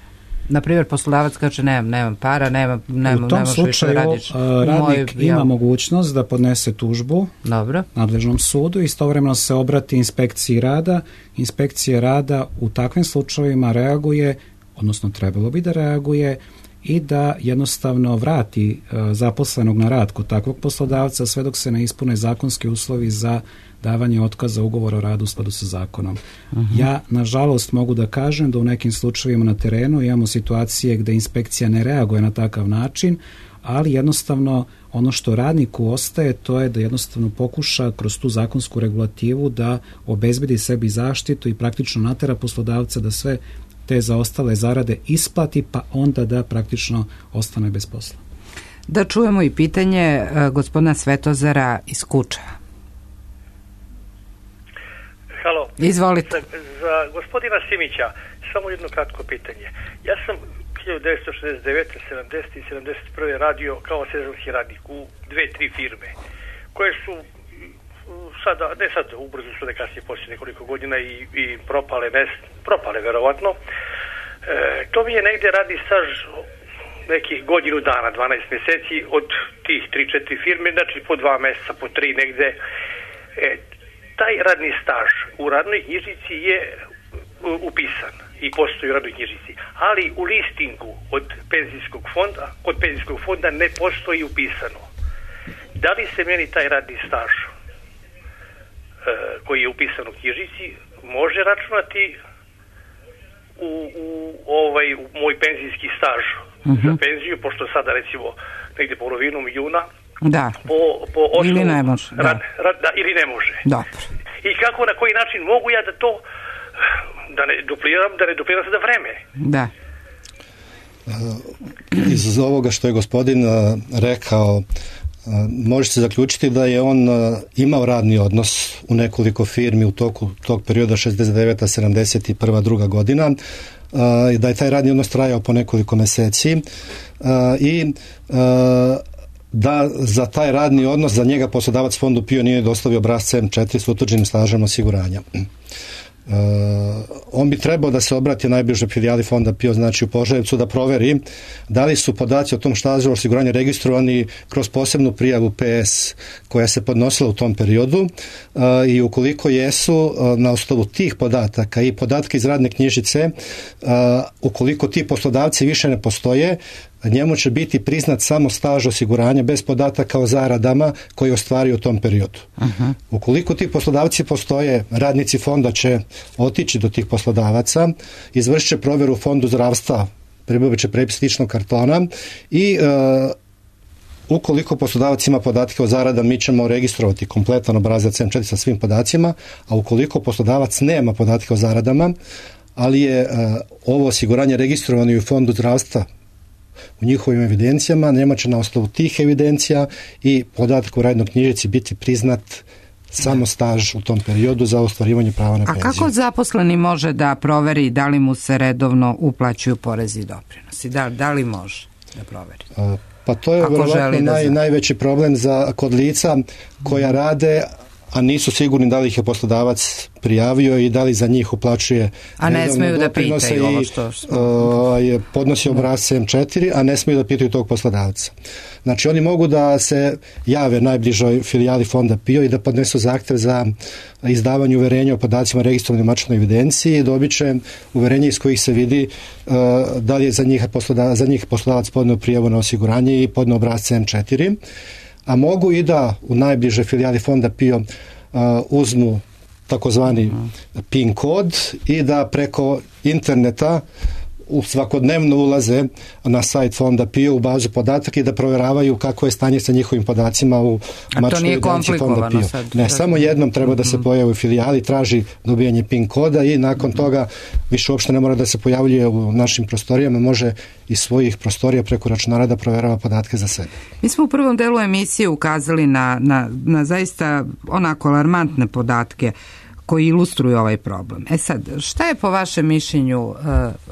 Naprimjer, poslodavac kaže nemam, nemam para, nemam, nemam, u tom slučaju radiš, radnik moj, ima ja... mogućnost da podnese tužbu Dobro. nadležnom sudu i istovremeno se obrati inspekciji rada. Inspekcija rada u takvim slučajevima reaguje, odnosno trebalo bi da reaguje i da jednostavno vrati uh, zaposlenog na rad kod takvog poslodavca sve dok se ne ispune zakonski uslovi za davanje otkaza ugovora o radu u skladu sa zakonom. Uh-huh. Ja, nažalost, mogu da kažem da u nekim slučajevima na terenu imamo situacije gde inspekcija ne reaguje na takav način, ali jednostavno ono što radniku ostaje to je da jednostavno pokuša kroz tu zakonsku regulativu da obezbedi sebi zaštitu i praktično natera poslodavca da sve te zaostale zarade isplati, pa onda da praktično ostane bez posla. Da čujemo i pitanje uh, gospodina Svetozara iz Kučeva. Halo. Izvolite. Za, za gospodina Simića samo jedno kratko pitanje. Ja sam hiljadu devetsto šezdeset devete, sedamdesete i sedamdeset prve radio kao sezonski radnik u dve, tri firme koje su sada, ne sad, ubrzo su da kasnije poslije nekoliko godina i, i propale, mes, propale verovatno. E, to mi je negde radni staž nekih godinu dana, dvanaest mjeseci od tih tri četiri firme, znači po dva mjeseca, po tri negde. E, taj radni staž u radnoj knjižici je upisan i postoji u radnoj knjižici, ali u listingu od penzijskog fonda, od penzijskog fonda ne postoji upisano. Da li se meni taj radni staž koji je upisan u knjižici može računati u, u, ovaj, u moj penzijski staž uh-huh. za penziju, pošto sada recimo negdje polovinom juna da. po, po osnovu ili ne može rad, da. Rad, da, ili ne može dobro. I kako, na koji način mogu ja da to da ne dupliram, da ne dupliram se da vreme da. Iz ovoga što je gospodin rekao može se zaključiti da je on imao radni odnos u nekoliko firmi u toku tog perioda šezdeset deveta, sedamdeset prva, druga godina i da je taj radni odnos trajao po nekoliko meseci i da za taj radni odnos za njega poslodavac fondu P I O nije dostavio obrasce M četiri s utvrđenim stažem osiguranja. Uh, on bi trebao da se obrati najbližoj filijali fonda P I O, znači u Požarevcu, da proveri da li su podaci o tom stažu osiguranja registrovani kroz posebnu prijavu P S koja se podnosila u tom periodu uh, i ukoliko jesu uh, na osnovu tih podataka i podatke iz radne knjižice, uh, ukoliko ti poslodavci više ne postoje, njemu će biti priznat samo staž osiguranja bez podataka o zaradama koji ostvario u tom periodu. Uh-huh. Ukoliko ti poslodavci postoje, radnici fonda će otići do tih poslodavaca, izvršit će provjeru u fondu zdravstva, pribavit će prepis ličnog kartona i uh, ukoliko poslodavac ima podatke o zaradama, mi ćemo registrovati kompletan obrazac M četiri sa svim podacima, a ukoliko poslodavac nema podatke o zaradama, ali je uh, ovo osiguranje registrovano i u fondu zdravstva u njihovim evidencijama, nema će na osnovu tih evidencija i podatak u radnoj knjižici biti priznat samo staž u tom periodu za ostvarivanje prava na penziju. A kako zaposleni može da proveri da li mu se redovno uplaćuju porezi i doprinosi? Da, da li može da proveri? A, pa to je vjerovatno naj, najveći problem za kod lica koja rade, a nisu sigurni da li ih je poslodavac prijavio i da li za njih uplaćuje a ne smiju da pitaju ovo što je podnosi obrasce M četiri, a ne smiju da pitaju tog poslodavca. Znači oni mogu da se jave najbližoj filijali fonda P I O i da podnesu zahtjev za izdavanje uverenja o podacima registrovanim u matičnoj evidenciji i dobit će uverenje iz kojih se vidi uh, da li je za njih poslodavac, za njih poslodavac podneo prijavu na osiguranje i podneo obrasce M četiri. A mogu i da u najbliže filijali fonda P I O uh, uzmu takozvani PIN kod i da preko interneta u svakodnevno ulaze na sajt fonda P I O u bazu podataka i da provjeravaju kako je stanje sa njihovim podacima u matičnoj evidenciji fonda P I O. Sad, ne, samo jednom treba da se pojavi u filijali, traži dobijanje PIN koda i nakon toga više uopšte ne mora da se pojavljuje u našim prostorijama, može iz svojih prostorija preko računara da provjerava podatke za sebe. Mi smo u prvom delu emisije ukazali na, na, na zaista onako alarmantne podatke koji ilustruju ovaj problem. E sad, šta je po vašem mišljenju uh,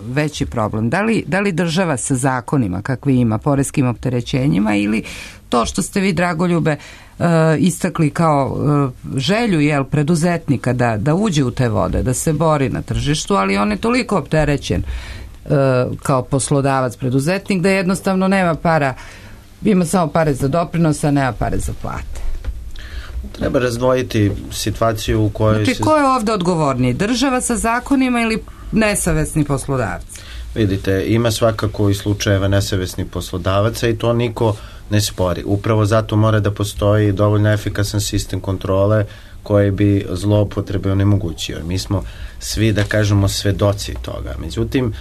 veći problem? Da li, da li država sa zakonima kakvi ima, poreskim opterećenjima, ili to što ste vi, Dragoljube, uh, istakli kao uh, želju jel, preduzetnika da, da uđe u te vode, da se bori na tržištu, ali on je toliko opterećen uh, kao poslodavac, preduzetnik, da jednostavno nema para, ima samo pare za doprinos, a nema pare za plate. Treba razdvojiti situaciju u kojoj... Znači, se... ko je ovdje odgovorniji? Država sa zakonima ili nesavesni poslodavci? Vidite, ima svakako i slučajeva nesavesnih poslodavaca i to niko ne spori. Upravo zato mora da postoji dovoljno efikasan sistem kontrole koji bi zloupotrebe onemogućio. Mi smo svi, da kažemo, svedoci toga. Međutim,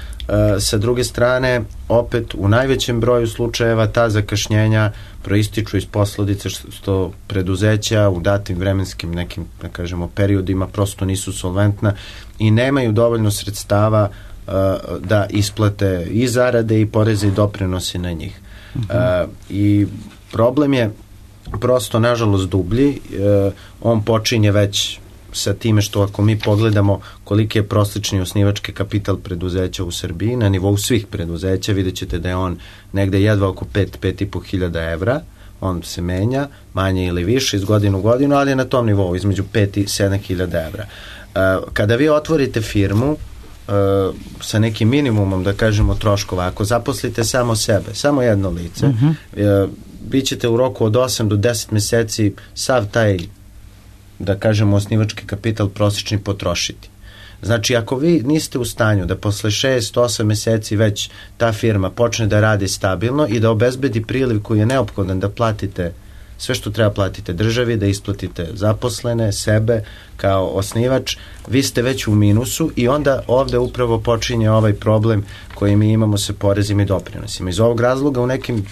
sa druge strane, opet u najvećem broju slučajeva ta zakašnjenja proističu iz posledice što preduzeća u datim vremenskim nekim, da kažemo, periodima prosto nisu solventna i nemaju dovoljno sredstava uh, da isplate i zarade i poreze i doprinose na njih. Uh-huh. Uh, I problem je prosto, nažalost, dublji. Uh, on počinje već sa time što ako mi pogledamo koliki je prosječni osnivački kapital preduzeća u Srbiji, na nivou svih preduzeća vidjet ćete da je on negde jedva oko pet do pet i po hiljada evra, on se menja, manje ili više iz godinu u godinu, ali je na tom nivou između pet i sedam hiljada evra. Uh, kada vi otvorite firmu uh, sa nekim minimumom, da kažemo, troškova, ako zaposlite samo sebe, samo jedno lice, uh-huh. uh, bit ćete u roku od osam do deset meseci sav taj, da kažemo, osnivački kapital prosječni potrošiti. Znači, ako vi niste u stanju da posle šest do osam meseci već ta firma počne da radi stabilno i da obezbedi priliv koji je neophodan da platite sve što treba platite državi, da isplatite zaposlene, sebe kao osnivač, vi ste već u minusu i onda ovde upravo počinje ovaj problem koji mi imamo sa porezima i doprinosima. Iz ovog razloga u nekim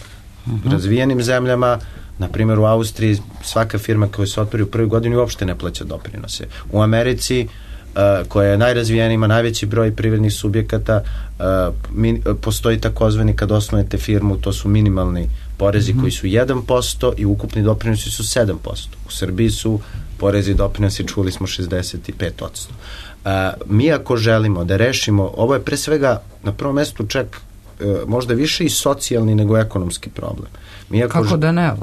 uh-huh. razvijenim zemljama, na primjer u Austriji, svaka firma koja se otvori u prvoj godini uopšte ne plaća doprinose. U Americi, uh, koja je najrazvijenija, ima najveći broj privrednih subjekata, uh, min, uh, postoji takozvani, kad osnujete firmu, to su minimalni porezi mm-hmm. koji su jedan posto i ukupni doprinosi su sedam posto. U Srbiji su porezi i doprinosi, čuli smo, šezdeset pet posto. Uh, mi ako želimo da rešimo, ovo je pre svega na prvom mestu čak uh, možda više i socijalni nego ekonomski problem. Mi ako, Kako da ne? Uh,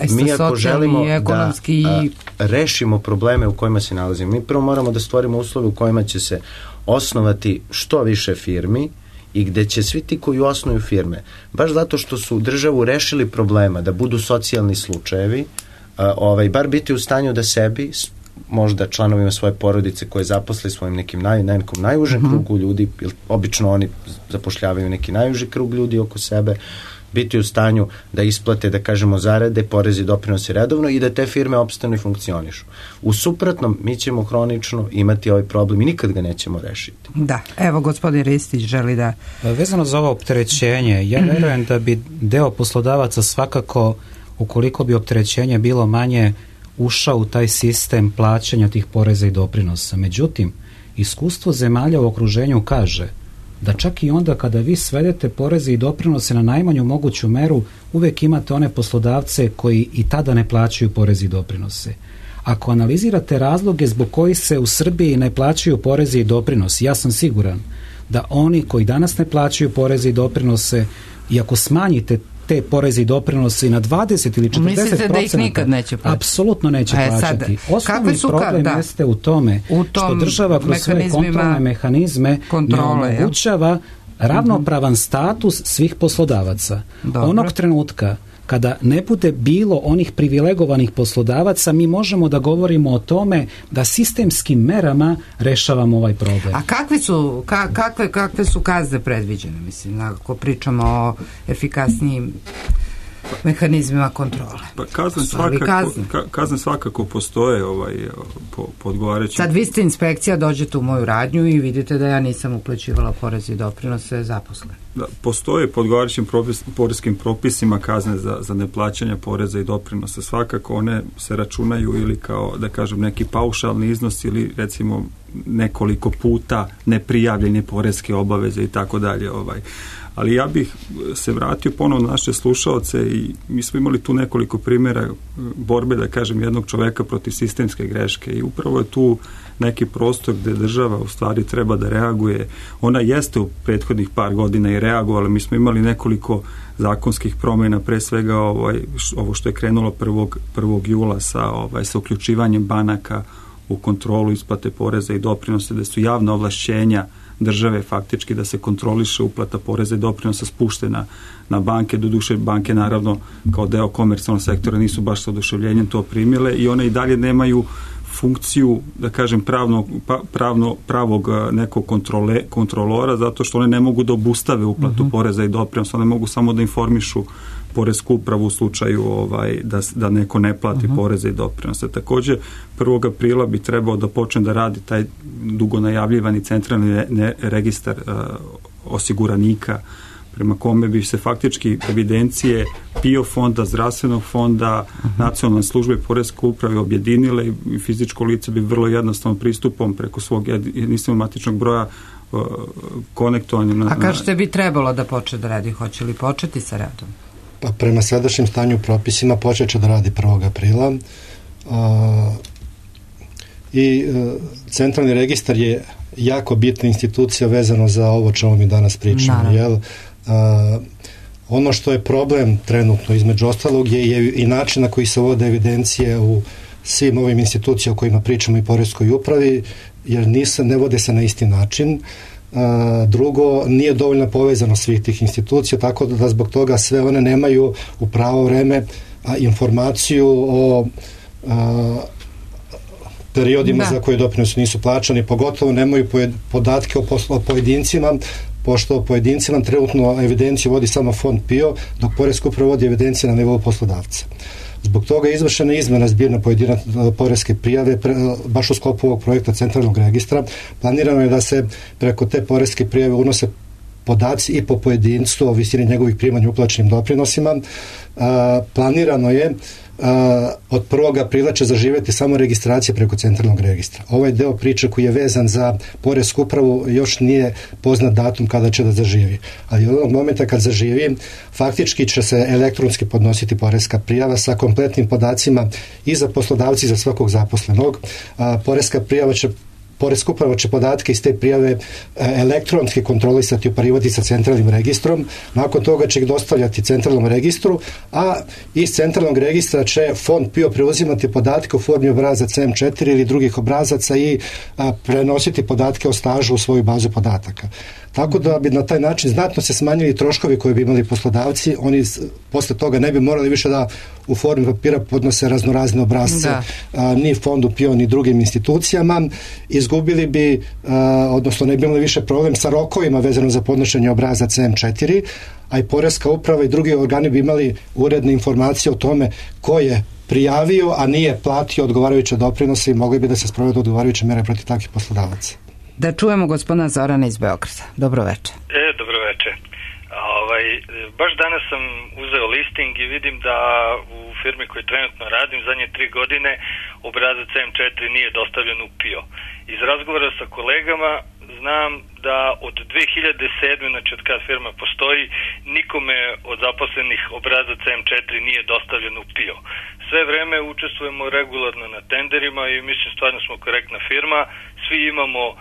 mi ako želimo ekonomski da uh, rešimo probleme u kojima se nalazimo, mi prvo moramo da stvorimo uslove u kojima će se osnovati što više firmi i gde će svi ti koji osnuju firme, baš zato što su državu rešili problema da budu socijalni slučajevi, uh, ovaj, bar biti u stanju da sebi, možda članovima svoje porodice koje zaposle svojim nekim naj, nekom najužem mm-hmm. krugu ljudi, jer obično oni zapošljavaju neki najuži krug ljudi oko sebe, biti u stanju da isplate, da kažemo, zarade, porezi, doprinose redovno i da te firme opstanu i funkcionišu. U suprotnom, mi ćemo hronično imati ovaj problem i nikad ga nećemo rešiti. Da, evo gospodin Ristić želi da... Vezano za ovo opterećenje, ja verujem da bi deo poslodavaca svakako, ukoliko bi opterećenje bilo manje, ušao u taj sistem plaćanja tih poreza i doprinosa. Međutim, iskustvo zemalja u okruženju kaže da čak i onda kada vi svedete poreze i doprinose na najmanju moguću meru, uvek imate one poslodavce koji i tada ne plaćaju poreze i doprinose. Ako analizirate razloge zbog kojih se u Srbiji ne plaćaju poreze i doprinosi, ja sam siguran da oni koji danas ne plaćaju poreze i doprinose, i ako smanjite te poreze i doprinose na dvadeset ili četrdeset procenata, mislite da ih nikad neće plaćati? Apsolutno neće e, plaćati. Sad, osnovni problem da. jeste u tome u što država kroz svoje kontrolne mehanizme kontrole, ne omogućava ja? ravnopravan status svih poslodavaca. Dobro. Onog trenutka kada ne bude bilo onih privilegovanih poslodavaca, mi možemo da govorimo o tome da sistemskim merama rešavamo ovaj problem. A kakve su, ka, kakve, kakve su kazne predviđene, mislim, ako pričamo o efikasnijim mehanizmima kontrole. Pa kazne svakako, kazne. kazne svakako postoje ovaj, po, po odgovarajućim... Sad vi ste inspekcija, dođete u moju radnju i vidite da ja nisam uplaćivala porez i doprinose zaposlen. Da, postoje po odgovarajućim propis, poreskim propisima kazne za, za neplaćanje poreza i doprinosa. Svakako one se računaju ili kao, da kažem, neki paušalni iznos ili recimo nekoliko puta neprijavljene poreske obaveze i tako dalje. Ovaj. Ali ja bih se vratio ponovno na naše slušaoce i mi smo imali tu nekoliko primjera borbe, da kažem, jednog čoveka protiv sistemske greške i upravo je tu neki prostor gde država u stvari treba da reaguje. Ona jeste u prethodnih par godina i reagovala. Mi smo imali nekoliko zakonskih promjena, pre svega ovaj, ovo što je krenulo prvog jula sa, ovaj, sa uključivanjem banaka u kontrolu isplate poreza i doprinose, da su javna ovlašćenja države faktički da se kontroliše uplata poreza i doprinosa spuštena na banke. Doduše banke naravno kao deo komercijalnog sektora nisu baš sa oduševljenjem to primile i one i dalje nemaju funkciju, da kažem, pravno, pravno, pravog nekog kontrole, kontrolora, zato što one ne mogu da obustave uplatu uh-huh. poreza i doprinosa, one mogu samo da informišu poresku upravu u slučaju ovaj, da, da neko ne plati uh-huh. poreze i doprinose. Također, prvog aprila bi trebao da počne da radi taj dugo najavljivani centralni ne, ne, registar uh, osiguranika, prema kome bi se faktički evidencije P I O fonda, zdravstvenog fonda, uh-huh. nacionalne službe poreske uprave objedinile i fizičko lice bi vrlo jednostavno pristupom preko svog jedinstvenog matičnog broja uh, konektovanjem. Na, A kažete bi trebalo da počne da radi, hoće li početi sa radom? Pa prema sadašnjem stanju propisima počet će da radi prvog aprila uh, i uh, centralni registar je jako bitna institucija vezano za ovo čemu mi danas pričamo. Jel? Uh, ono što je problem trenutno između ostalog je, je i način na koji se vode evidencije u svim ovim institucijama o kojima pričamo i poreskoj upravi, jer nisa, ne vode se na isti način. Uh, drugo, nije dovoljno povezano svih tih institucija, tako da zbog toga sve one nemaju u pravo vreme a, informaciju o a, periodima da. za koje doprinosi nisu plaćani, pogotovo nemaju podatke o, poslo, o pojedincima, pošto o pojedincima trenutno evidenciju vodi samo fond P I O, dok poreska uprava vodi evidencije na nivou poslodavca. Zbog toga je izvršena izmena zbirne pojedine poreske prijave pre, baš u sklopu ovog projekta centralnog registra. Planirano je da se preko te poreske prijave unose podaci i po pojedinstvu o visini njegovih primanja uplaćenim doprinosima. A, planirano je Uh, od prvog aprila će zaživjeti samo registracija preko centralnog registra. Ovaj deo priče koji je vezan za poresku upravu još nije poznat datum kada će da zaživi. Ali od onog momenta kad zaživi, faktički će se elektronski podnositi poreska prijava sa kompletnim podacima i za poslodavci i za svakog zaposlenog. Uh, poreska prijava će Poreska uprava će podatke iz te prijave elektronski kontrolisati i uparivati sa centralnim registrom. Nakon toga će ih dostavljati centralnom registru, a iz centralnog registra će fond P I O preuzimati podatke u formi obrazaca M četiri ili drugih obrazaca i a, prenositi podatke o stažu u svoju bazu podataka. Tako da bi na taj način znatno se smanjili troškovi koje bi imali poslodavci. Oni posle toga ne bi morali više da u formi papira podnose raznorazne obrazce a, ni fondu P I O ni drugim institucijama. Izgubili bi, a, odnosno ne bi imali više problem sa rokovima vezano za podnošenje obrazaca M četiri, a i poreska uprava i drugi organi bi imali uredne informacije o tome ko je prijavio, a nije platio odgovarajuće doprinose i mogli bi da se sprovedu odgovarajuće mere protiv takvih poslodavaca. Da čujemo gospodina Zorana iz Beograda. Dobro večer. E, dobro večer. Ovaj, baš danas sam uzeo listing i vidim da u firmi koju trenutno radim zadnje tri godine obrazac M četiri nije dostavljen u P I O. Iz razgovora sa kolegama znam da od dve hiljade sedme, znači od kad firma postoji, nikome od zaposlenih obrazac M četiri nije dostavljen u P I O. Sve vreme učestvujemo regularno na tenderima i mislim stvarno smo korektna firma, svi imamo e,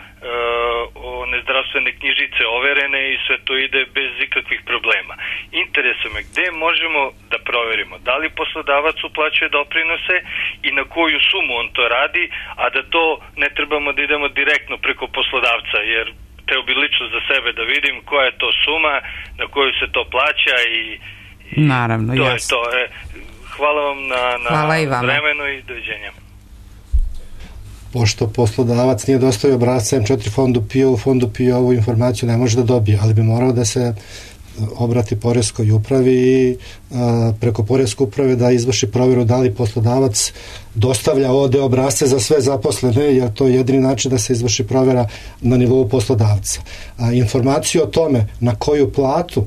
one zdravstvene knjižice overene i sve to ide bez ikakvih problema. Interesuje me gde možemo da proverimo da li poslodavac uplaćuje doprinose i na koju sumu on to radi, a da to ne trebamo da idemo direktno preko poslodavca, jer teo bi lično za sebe da vidim koja je to suma, na koju se to plaća i, i naravno, to jasno. je to. E, hvala vam na, na vremenu i doviđenja. Pošto poslodavac nije dostavio obrasca M četiri fondu P I O, u fondu P I O ovu informaciju ne može da dobije, ali bi morao da se obrati poreskoj upravi i a, preko poreske uprave da izvrši provjeru da li poslodavac dostavlja ovde obrasce za sve zaposlene, jer to je jedini način da se izvrši provjera na nivou poslodavca. A informaciju o tome na koju platu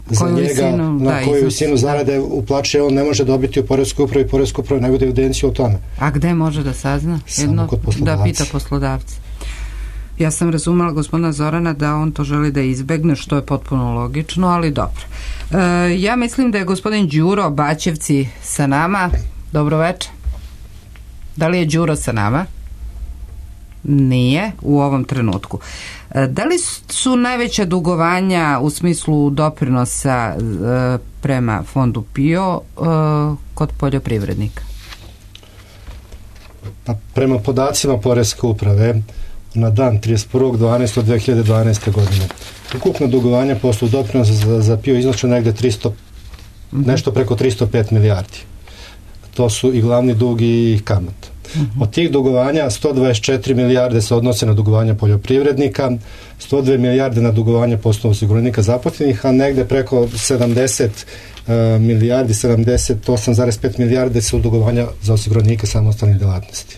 za koju njega, visinu, na da, koju iznos, visinu zarade uplaćuje, on ne može dobiti u poreskoj upravi, poreskoj upravi ne bude evidenciju o tome. A gde može da sazna? Samo kod poslodavca. Da pita poslodavca. Ja sam razumela gospodina Zorana da on to želi da izbegne, što je potpuno logično, ali dobro. E, ja mislim da je gospodin Đuro Baćevci sa nama. Dobro večer. Da li je Đuro sa nama? Nije u ovom trenutku. E, da li su najveća dugovanja u smislu doprinosa e, prema fondu PIO e, kod poljoprivrednika? Pa, prema podacima poreske uprave na dan trideset prvog dvanaestog dve hiljade dvanaeste. godine ukupno dugovanje po osnovu doprinosa za, za PIO iznosi negde tristo, mm-hmm. nešto preko tristo pet milijardi. To su i glavni dug i kamata. Mm-hmm. Od tih dugovanja sto dvadeset četiri milijarde se odnose na dugovanja poljoprivrednika, sto dve milijarde na dugovanje po osnovu osiguranika zaposlenih, a negde preko sedamdeset uh, milijardi, sedamdeset osam zarez pet milijarde su dugovanja za osiguranike samostalnih delatnosti.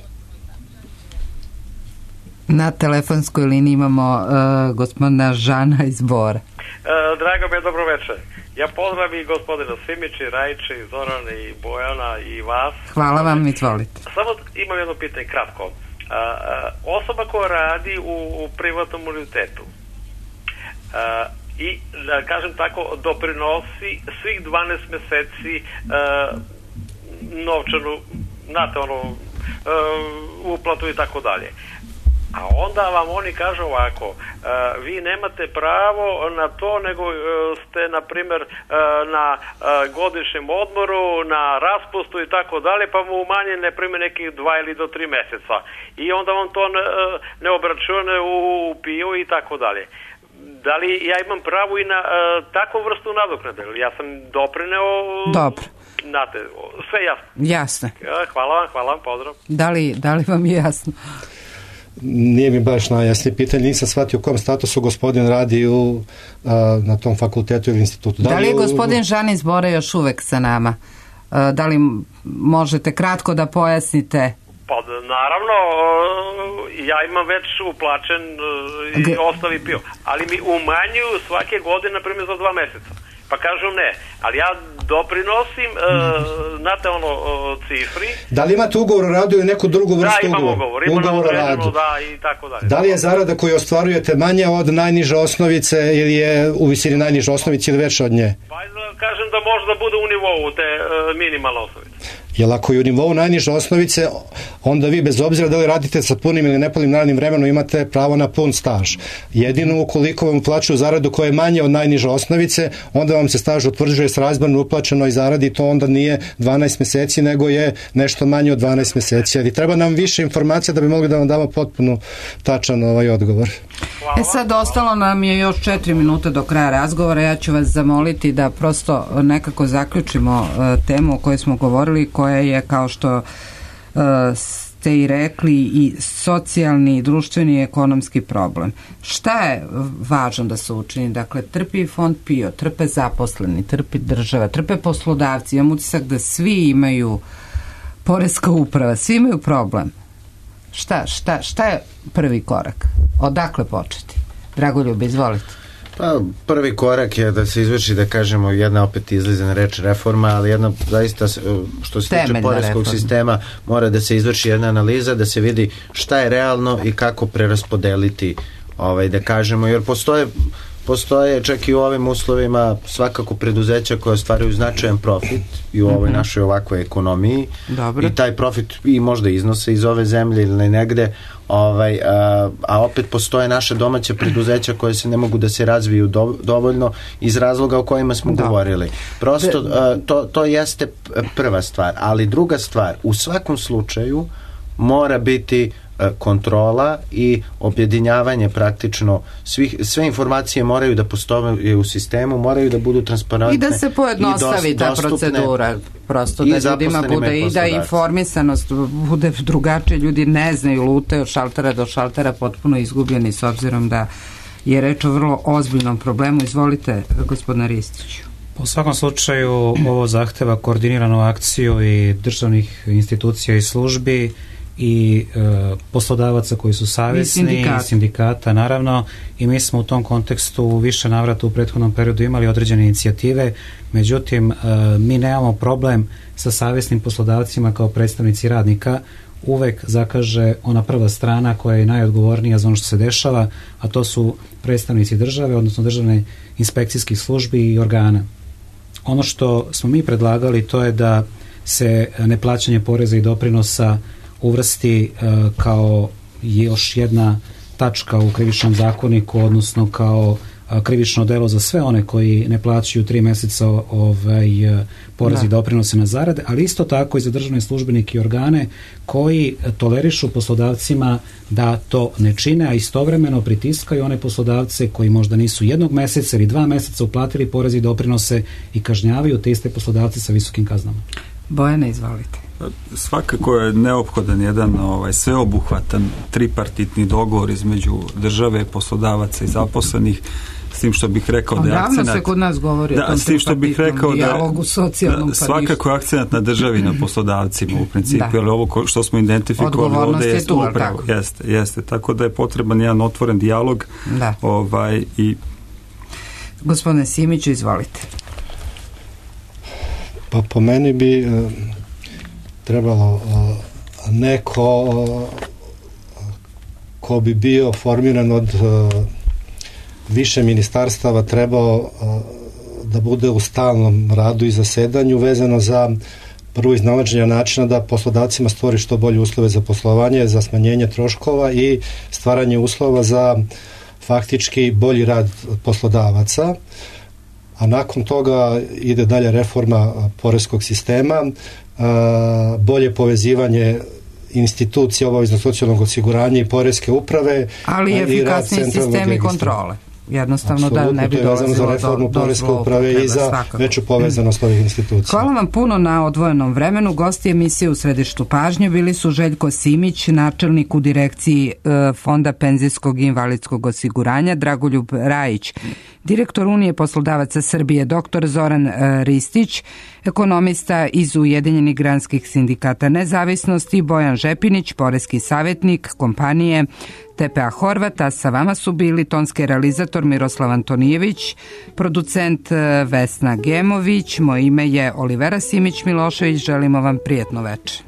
Na telefonskoj liniji imamo uh, gospodina Žana iz Bora. E, drago mi je, dobro večer. Ja pozdravim i gospodina Simića, Rajića, i Zorana, i Bojana, i vas. Hvala vam, izvolite. Samo imam jedno pitanje, kratko. A, a, osoba koja radi u, u privatnom unitetu a, i, da kažem tako, doprinosi svih dvanaest meseci a, novčanu, znate, ono, a, uplatu i tako dalje. A onda vam oni kažu ovako, uh, vi nemate pravo na to, nego uh, ste, na primjer, uh, na uh, godišnjem odmoru, na raspustu i tako dalje, pa mu umanje, na primjer, nekih dva ili do tri meseca. I onda on to ne, ne obračune u, u PIO i tako dalje. Da li ja imam pravo i na uh, takvu vrstu nadoknade? Ja sam doprineo... Dobro. Znate, sve jasno. Jasno. Hvala vam, hvala vam, pozdrav. Da li, da li vam je jasno? Nije mi baš najjasnije pitanje, nisam shvatio u kom statusu gospodin radi u, a, na tom fakultetu ili institutu. Da, da li je gospodin Žan iz Bora još uvek sa nama? A, da li možete kratko da pojasnite? Pa naravno, ja imam već uplaćen i G- ostavi PIO, ali mi umanjuju svake godine, na primjer, za dva meseca. Pa kažu ne, ali ja doprinosim, uh, znate ono, uh, cifri. Da li imate ugovor o radu ili neku drugu vrstu ugovora? Da, imam ugovor, ugovor, imam ugovor o radu. Da, i tako dalje. Da li je zarada koju ostvarujete manja od najniže osnovice ili je u visini najniže osnovice ili veća od nje? Pa kažem da može da bude u nivou te uh, minimalne osnovice. Jer ako je u nivou najniže osnovice, onda vi bez obzira da li radite sa punim ili nepunim radnim vremenom imate pravo na pun staž. Jedino ukoliko vam uplaćuju zaradu koja je manja od najniže osnovice, onda vam se staž utvrđuje s razmjerno uplaćenoj zaradi, to onda nije dvanaest meseci, nego je nešto manje od dvanaest meseci. Ali treba nam više informacija da bi mogli da vam damo potpuno tačan ovaj odgovor. E sad, ostalo nam je još četiri minute do kraja razgovora. Ja ću vas zamoliti da prosto nekako zaključimo uh, temu o kojoj smo govorili, koja je, kao što uh, ste i rekli, i socijalni, i društveni i ekonomski problem. Šta je važno da se učini? Dakle, trpi fond PIO, trpe zaposleni, trpi država, trpe poslodavci. Imam utisak da svi imaju, poreska uprava, svi imaju problem. Šta, šta, šta je prvi korak? Odakle početi? Dragoljub, izvolite. Pa, prvi korak je da se izvrši, da kažemo, jedna opet izlizana reč reforma, ali jedna zaista, što se tiče poreskog sistema, mora da se izvrši jedna analiza, da se vidi šta je realno i kako preraspodeliti, ovaj, da kažemo, jer postoje Postoje čak i u ovim uslovima svakako preduzeća koje ostvaruju značajan profit i u ovoj našoj ovakvoj ekonomiji. Dobre. I taj profit i možda iznose iz ove zemlje ili negde, ovaj, a, a opet postoje naše domaće preduzeća koje se ne mogu da se razviju do, dovoljno iz razloga o kojima smo da. govorili. Prosto a, to, to jeste prva stvar, ali druga stvar, u svakom slučaju mora biti kontrola i objedinjavanje praktično svih, sve informacije moraju da postoje u sistemu, moraju da budu transparentne i da se pojednostavi ta procedura, prosto da ljudima bude i da informisanost bude drugačije. Ljudi ne znaju, lutaju od šaltera do šaltera potpuno izgubljeni, s obzirom da je reč o vrlo ozbiljnom problemu. Izvolite, gospodine Ristiću. U svakom slučaju ovo zahteva koordiniranu akciju i državnih institucija i službi i e, poslodavaca koji su savjesni, i sindikat. sindikata naravno, i mi smo u tom kontekstu u više navrata u prethodnom periodu imali određene inicijative, međutim e, mi nemamo problem sa savjesnim poslodavcima kao predstavnici radnika. Uvek zakaže ona prva strana koja je najodgovornija za ono što se dešava, a to su predstavnici države, odnosno državne inspekcijskih službi i organa. Ono što smo mi predlagali to je da se neplaćanje poreza i doprinosa uvrsti e, kao još jedna tačka u krivičnom zakoniku, odnosno kao a, krivično delo za sve one koji ne plaćaju tri meseca ovaj, porez i doprinose na zarade, ali isto tako i za državne službenike i organe koji tolerišu poslodavcima da to ne čine, a istovremeno pritiskaju one poslodavce koji možda nisu jednog meseca ili dva meseca uplatili porez i doprinose i kažnjavaju te iste poslodavce sa visokim kaznama. Bojana, izvolite. Svakako je neophodan jedan ovaj, sveobuhvatan tripartitni dogovor između države, poslodavaca i zaposlenih, s tim što bih rekao da je akcenat... se kod nas govori da, o tom s tim što bih rekao dijalogu, socijalnom, da, svakako je akcenat na državi, na poslodavcima u principu, da. Ali ovo što smo identifikovali ovdje je tu, upravo, jeste, jeste, tako da je potreban jedan otvoren dijalog. Da. Ovaj, i... Gospodine Simiću, izvolite. Pa po meni bi e, trebalo e, neko e, ko bi bio formiran od e, više ministarstava trebao e, da bude u stalnom radu i zasedanju vezano za prvo iznalaženje načina da poslodavcima stvori što bolje uslove za poslovanje, za smanjenje troškova i stvaranje uslova za faktički bolji rad poslodavaca. A nakon toga ide dalje reforma poreskog sistema, bolje povezivanje institucija obaveznog socijalnog osiguranja i poreske uprave, ali i efikasniji sistemi kontrole. Jednostavno Absolutno, da ne bi dolazilo za reformu do, poreske do uprave i za svakako. veću povezanost ovih institucija. Hvala vam puno na odvojenom vremenu. Gosti emisije u središtu pažnje bili su Željko Simić, načelnik u direkciji e, Fonda penzijskog i invalidskog osiguranja, Dragoljub Rajić, direktor Unije poslodavaca Srbije, doktor Zoran e, Ristić, ekonomista iz Ujedinjenih granskih sindikata nezavisnosti, Bojan Žepinić, poreski savjetnik kompanije T P A Horvata. Sa vama su bili tonski realizator Miroslav Antonijević, producent Vesna Gemović, moje ime je Olivera Simić Milošević, želimo vam prijetno večer.